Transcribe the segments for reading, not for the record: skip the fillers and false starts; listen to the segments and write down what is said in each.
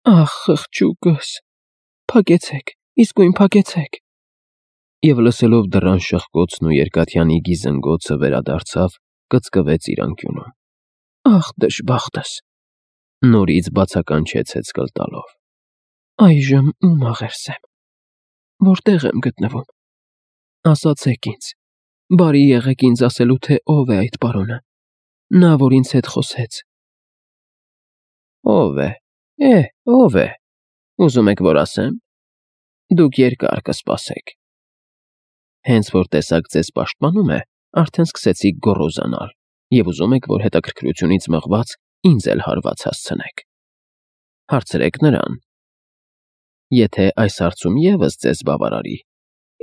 Ախ, խղճուկս, փակեցեք, իսկույն փակեցեք։ Եվ լսելով դռան շխկոցն ու երկաթյանի գիզնգոցը վերադարձավ, կծկվեց իր անկյունում։ Ախ, դժբախտս, նորից բացականչեց հեծկլ տալով։ Այժմ ում աղերսեմ, որտեղ եմ գտնվում։ Ասացեք ինձ, բարի եղեք ինձ ասելու, թե ով է այդ պարոնը, նա, որ ինձ հետ խոսեց։ Ով է, ով է, ուզում եք, որ ասեմ, դուք երկար կսպասեք։ Հենց որ տեսակ ձեզ պաշտպանում է, արդեն սկսեցիք գոռոզանալ, և ուզում եք, որ հետաքրքրությունից մղված ինձ էլ հարված հասցնեք։ Հարցրեք նրան։ Եթե այս հարցում ևս ձեզ բավարարի,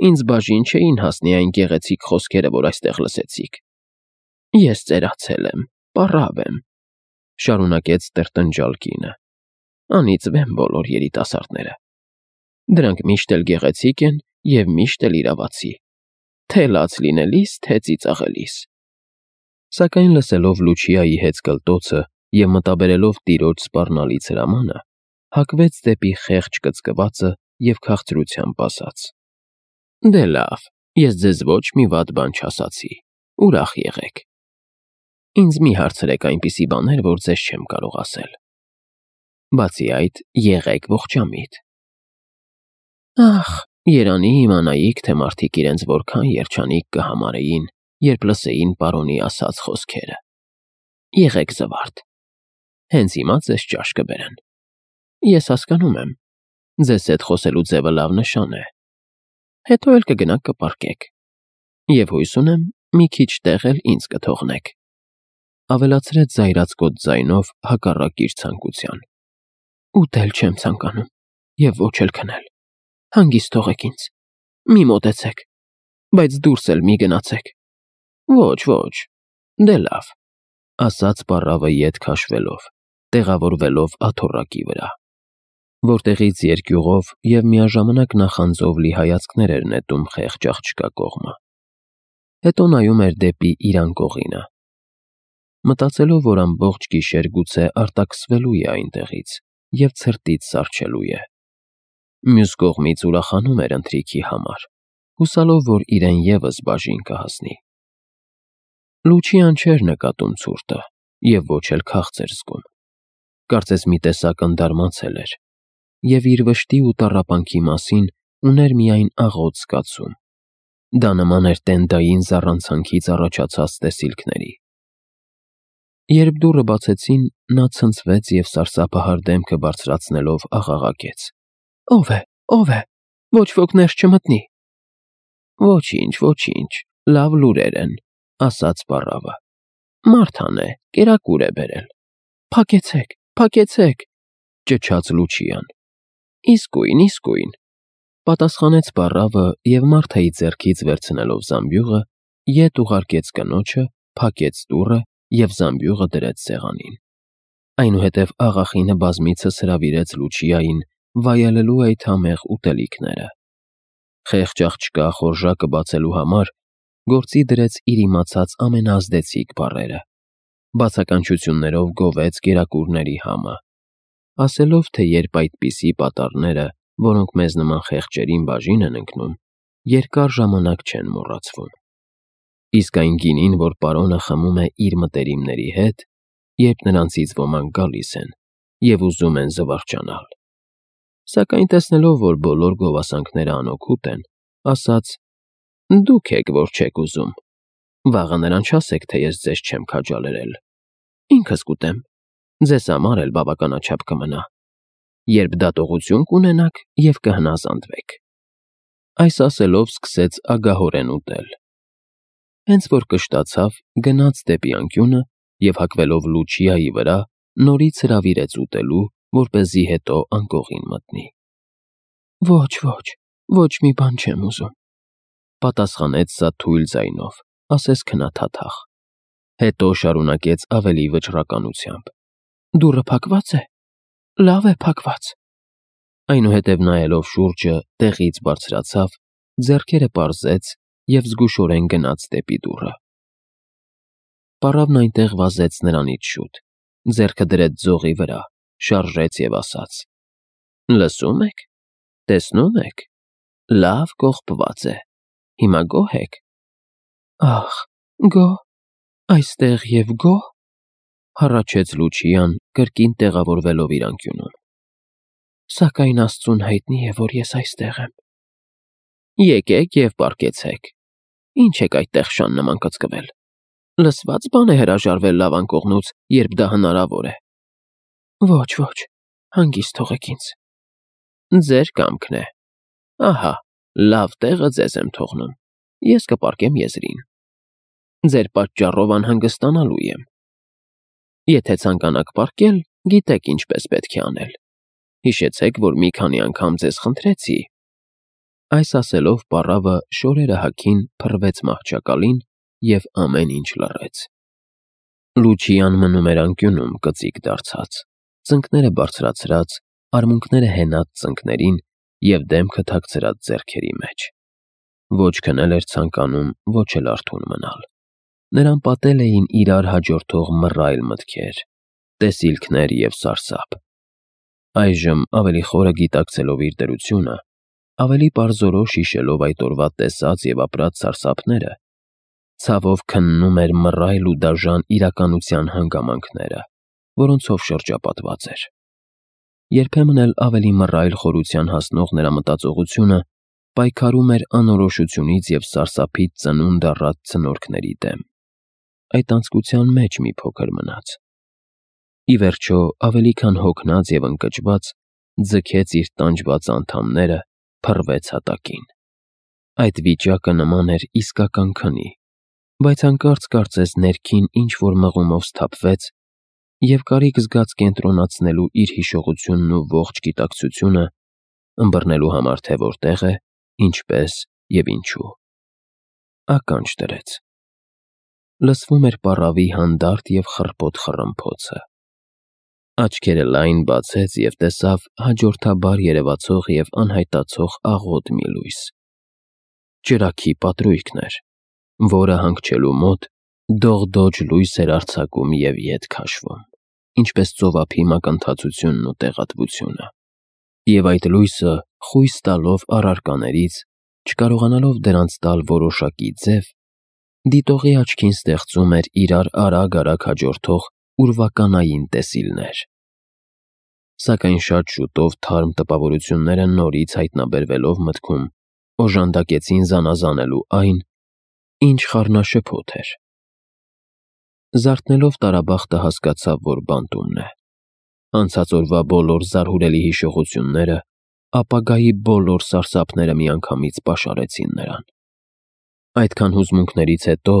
ինձ բաժին չէին հասնի այն գեղեցիկ խոսքերը, որ այստեղ լսեցիք։ Ես ծերացել եմ, պառավ եմ, շարունակեց տրտնջալ կինը։ Անիծվ են բոլոր երիտասարդները։ Դրանք միշտ էլ գեղեցիկ են և միշտ էլ իրավացի, թե լաց լինելիս, թե ծիծաղելիս։ Սակայն լսելով Լուչիայի հեծկլտոցը և մտաբերելով տիրոջ սպառնալից հրամանը, հակվեց դեպի խեղճ կծկվածը և քաղցրությամբ ասաց. Դե լավ, ես ձեզ ոչ մի վատ բան չասացի, ուրախ եղեք։ Ինձ մի հարցրեք այնպիսի բաներ, որ ձեզ չեմ կարող ասել։ Բացի այդ, եղեք ողջամիտ։ Ախ, երանի իմանայիք, թե մարդիկ իրենց որքան երջանիկ կհամարեին, երբ լսեին պարոնի ասած խոսքերը։ Եղեք զվարթ։ Հենց հիմա ձեզ ճաշ կբերեն։ Ես հասկանում եմ, ձեզ հետ խոսելու ձևը լավ նշան է։ Հետո էլ կգնաք կպառկեք։ Եվ հույս ունեմ, մի քիչ տեղ էլ ինձ կթողնեք։ Ավելացրեց զայրացկոտ ձայնով հակառակ իր ցանկության։ Ուտել չեմ ցանկանում, և ոչ էլ քնել։ Հանգիստ թողեք ինձ։ Մի մոտեցեք, բայց դուրս էլ մի գնացեք։ Ոչ, դե լավ, ասաց պառավը ետ քաշվելով, տեղավորվելով աթոռակի վրա, որտեղից երկյուղով և միաժամանակ նախանձով լի հայացքներ էր նետում խեղճ աղջկա կողմը։ Հետո նայում էր դեպի իր անկողինը, մտածելով, որ ամբողջ գիշեր գուցե արտաքսվելու է այնտեղից և ցրտից սառչելու է։ Մյուս կողմից ուրախանում էր ընթրիքի համար, հուսալով, որ իրեն ևս բաժին կհասնի։ Լուչիան չէր նկատում ցուրտը և ոչ էլ քաղց էր զգում։ Կարծես մի տեսակ ընդարմացել էր և իր վշտի ու տառապանքի մասին ուներ միայն աղոտ զգացում։ Դա նման էր տենդային զառանցանքից առաջացած տեսիլքների։ Երբ դուռը բացեցին, նա ցնցվեց և սարսափահար դեմքը բարձրացնելով աղաղակեց. Ո՞վ է, ոչ ոք ներս չմտնի։ Ոչինչ, լավ լուրեր են, ասաց պառավը։ Մարթան է, կերակուր է բերել։ Փակեցեք, ճչաց Լուչիան։ Իսկույն, պատասխանեց պառավը և Մարթայի ձեռքից վերցնելով զամբյուղը, ետ ուղարկեց կնոջը, փակեց դուռը և զամբյուղը դրեց սեղանին։ Այնուհետև աղախինը բազմիցս հրավիրեց Լուչիային վայելելու այդ համեղ ուտելիքները։ Խեղճ աղջկա խորժակը բացելու համար գործի դրեց իր իմացած ամենաազդեցիկ բառերը, բացականչություններով գովեց կերակուրների համը, ասելով, թե երբ այդպիսի պատառները, որոնք մեզ նման խեղճերին բաժին են ընկնում, երկար ժամանակ չեն մոռացվում։ Իսկ այն գինին, որ պարոնը խմում է իր մտերիմների հետ, երբ նրանցից ոմանք գալիս են և ուզում են զվարճանալ։ Սակայն տեսնելով, որ բոլոր գովասանքները անօգուտ են, ասաց. Դուք եք, որ չեք ուզում։ Վաղը նրան չասեք, թե ես ձեզ չեմ քաջալերել։ Ինքս կուտեմ, ձեզ համար էլ բավականաչափ կմնա, երբ դատողություն կունենաք և կհնազանդվեք։ Այս ասելով սկսեց ագահորեն ուտել։ Հենց որ կշտացավ, գնաց դեպի անկյունը և հագվելով Լուչիայի վրա, նորից հրավիրեց ուտելու, որպեսզի հետո անկողին մտնի։ Ոչ մի բան չեմ ուզում, պատասխանեց սա թույլ ձայնով, ասես քնաթաթախ։ Հետո շարունակեց ավելի վճռականությամբ. Դուռը փակվա՞ծ է։ Լավ է փակված։ Այնուհետև նայելով շուրջը, տեղից բարձրացավ, ձեռքերը պարզեց և զգուշորեն գնաց դեպի դուռը։ Պառավն այնտեղ վազեց նրանից շուտ, ձեռքը դրեց ձողի վրա, շարժեց և ասաց. Լսում եք, տեսնում եք, լավ կողպված է, հիմա գոհ եք։ Ախ, գոհ, այստեղ և գոհ, հառաչեց Լուչիան, կրկին տեղավորվելով իր անկյունում։ Սակայն Աստծուն հայտնի է, որ ես այստեղ եմ։ Եկեք և պառկեցեք, ինչ եք այդտեղ շան նման կծկվել։ Լսված բան է հրաժարվել լավ անկողնուց, երբ դա հնարավոր է։ Ոչ, հանգիստ թողեք ինձ։ Ձեր կամքն է։ Ահա, լավ տեղը ձեզ եմ թողնում, ես կպառկեմ եզրին։ Ձեր պատճառով անհանգստանալու եմ։ Եթե ցանկանաք պառկել, գիտեք ինչպես պետք է անել։ Հիշեցեք, որ մի քանի անգամ ձեզ խնդրեցի։ Այս ասելով պառավը շորերը հագին փռվեց մահճակալին և ամեն ինչ լռեց։ Լուչիան մնում էր անկյունում կծիկ դարձած, ծնկները բարձրացրած, արմունկները հենած ծնկներին և դեմքը թաքցրած ձեռքերի մեջ։ Ոչ քնել էր ցանկանում, ոչ էլ արթուն մնալ։ Նրան պատել էին իրար հաջորդող մռայլ մտքեր, տեսիլքներ և սարսափ։ Այժմ, ավելի խորը գիտակցելով իր դրությունը, ավելի պարզորոշ հիշելով այդ օրվա տեսած և ապրած սարսափները, ցավով քննում էր մռայլ ու դաժան իրականության հանգամանքները, որոնցով շրջապատված էր։ Երբեմն էլ ավելի մռայլ խորության հասնող նրա մտածողությունը պայքարում էր անորոշությունից և սարսափից ծնունդ առած ցնորքների դեմ։ Այդ անձկության մեջ մի փոքր մնաց։ Ի վերջո, ավելի քան հոգնած և ընկճված, ձգեց իր տանջված անդամները, փռվեց հատակին։ Այդ վիճակը նման էր իսկական քնի, բայց հանկարծ կարծես ներքին ինչ-որ մղումով սթափվեց և կարիք զգաց կենտրոնացնելու իր հիշողությունն ու ողջ գիտակցությունը, ըմբռնելու համար, թե որտեղ է, ինչպես և ինչու։ Ականջ դրեց։ Լսվում էր պառավի հանդարտ և խռպոտ խռմփոցը։ Աչքերը լայն բացեց և տեսավ հաջորդաբար երևացող և անհայտացող աղոտ մի լույս։ Ճրագի պատրույգն էր, որը հանգչելու մոտ դողդոջ լույս էր արձակում և ետ քաշվում, ինչպես ծովափի մակընթացությունն ու տեղատվությունը։ Եվ այդ լույսը, խույս տալով առարկաներից, չկարողանալով դրանց տալ որոշակի ձև, դիտողի աչքին ստեղծում էր իրար արագ հաջորդող ուրվականային տեսիլներ։ Սակայն շատ շուտով թարմ տպավորությունները նորից հայտնաբերվելով մտքում, օժանդակեցին զանազանելու այն, ինչ խառնաշփոթ էր։ Զարթնելով տարաբախտը հասկացավ, որ բանտումն է։ Անցած օրվա բոլոր զարհուրելի հիշողությունները, ապագայի բոլոր սարսափները միանգամից պաշարեցին նրան։ Այդքան հուզմունքներից հետո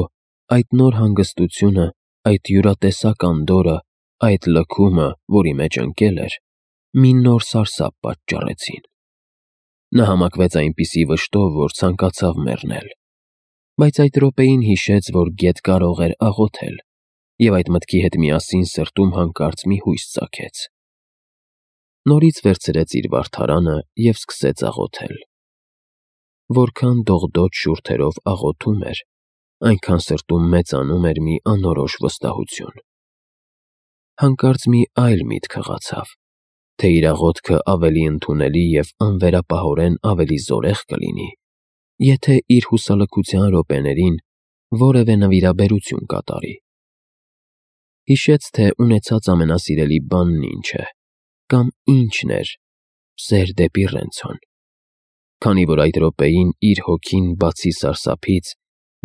այդ նոր հանգստությունը, այդ յուրատեսակ անդորրը, այդ լքումը, որի մեջ ընկել էր, մի նոր սարսափ պատճառեցին։ Նա համակվեց այնպիսի վշտով, որ ցանկացավ մեռնել։ Բայց այդ րոպեին հիշեց, որ գետ կարող էր աղոթել, և այդ մտքի հետ միասին սրտում հանկարծ մի հույս ծագեց։ Նորից վերցրեց իր վարդարանը և սկսեց աղոթել։ Որքան դողդոջ շուրթերով աղոթում էր, այնքան սրտում մեծանում էր մի անորոշ վստահություն։ Հանկարծ մի այլ միտք հղացավ, թե իր աղոթքը ավելի ընդունելի և անվերապահորեն ավելի զորեղ կլինի, եթե իր հուսալքության րոպեներին որևէ նվիրաբերություն կատարի։ Հիշեց, թե ունեցած ամենասիրելի բանն ինչ է, կամ ինչն էր սեր դեպի Ռենցոն։ Քանի որ այդ րոպեին իր հոգին, բացի սարսափից,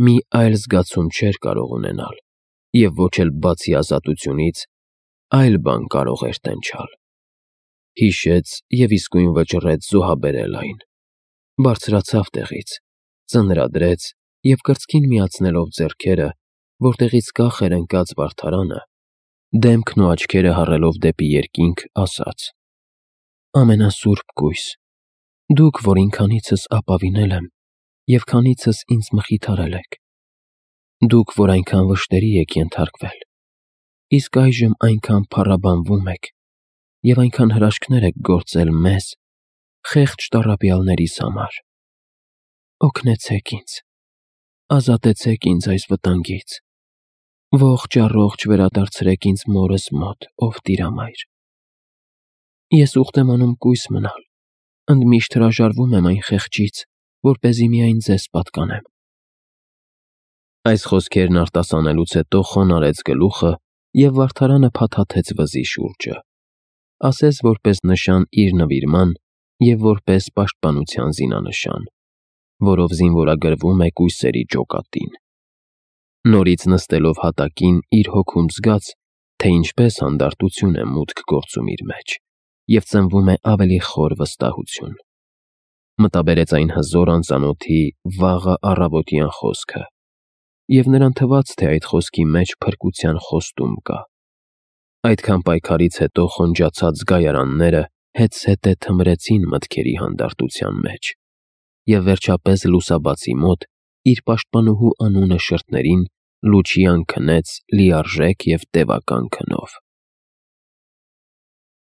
մի այլ զգացում չէր կարող ունենալ, և ոչ էլ բացի ազատությունից, այլ բան կարող էր տենչալ։ Հիշեց և իսկույն վճռեց զոհաբերել այն։ Բարձրացավ տեղից, ծնրադրեց և կրծքին միացնելով ձեռքերը, որտեղից կախ էր ընկած վարդարանը, դեմքն ու աչքերը հառելով դեպի երկինք, ասաց. «Ամենասուրբ կույս, դուք, որ ինքանիցս ապավինել եմ և քանիցս ինձ մխիթարել եք, դուք, որ այնքան վշտերի եք ենթարկվել, իսկ այժմ այնքան փառաբանվում եք և այնքան հրաշքներ եք գործել մեզ՝ խեղճ տառապյալներիս համար, օգնեցեք ինձ, ազատեցեք ինձ այս վտանգից, ողջ առողջ վերադարձրեք ինձ մորս մոտ, ով Տիրամայր։ Ես ուխտ եմ անում կույս մնալ, ընդմիշտ հրաժարվում եմ այն խեղճից, որպեսզի միայն ձեզ պատկանեմ։ Այս խոսքերն արտասանելուց հետո խոնարհեց գլուխը և վարդարանը փաթաթեց վզի շուրջը, ասես որպես նշան իր նվիրման և որպես պաշտպանության զինանշան, որով զինվորագրվում է կույսերի ջոկատին։ Նորից նստելով հատակին իր հոգում զգաց, թե ինչպես հանդարտություն է մուտք գործում իր մեջ և ծնվում է ավելի խոր վստահություն։ Մտաբերեց այն հզոր անծանոթի վաղը առավոտյան խոսքը, և նրան թվաց, թե այդ խոսքի մեջ փրկության խոստում կա։ Այդքան պայքարից հետո խոնջացած զգայարանները հետզհետե թմրեցին մտքերի հանդարտության մեջ, և վերջապես լուսաբացի մոտ իր պաշտպանուհու անունը շրթներին լուչյան քնեց լիարժեք և տևական քնով։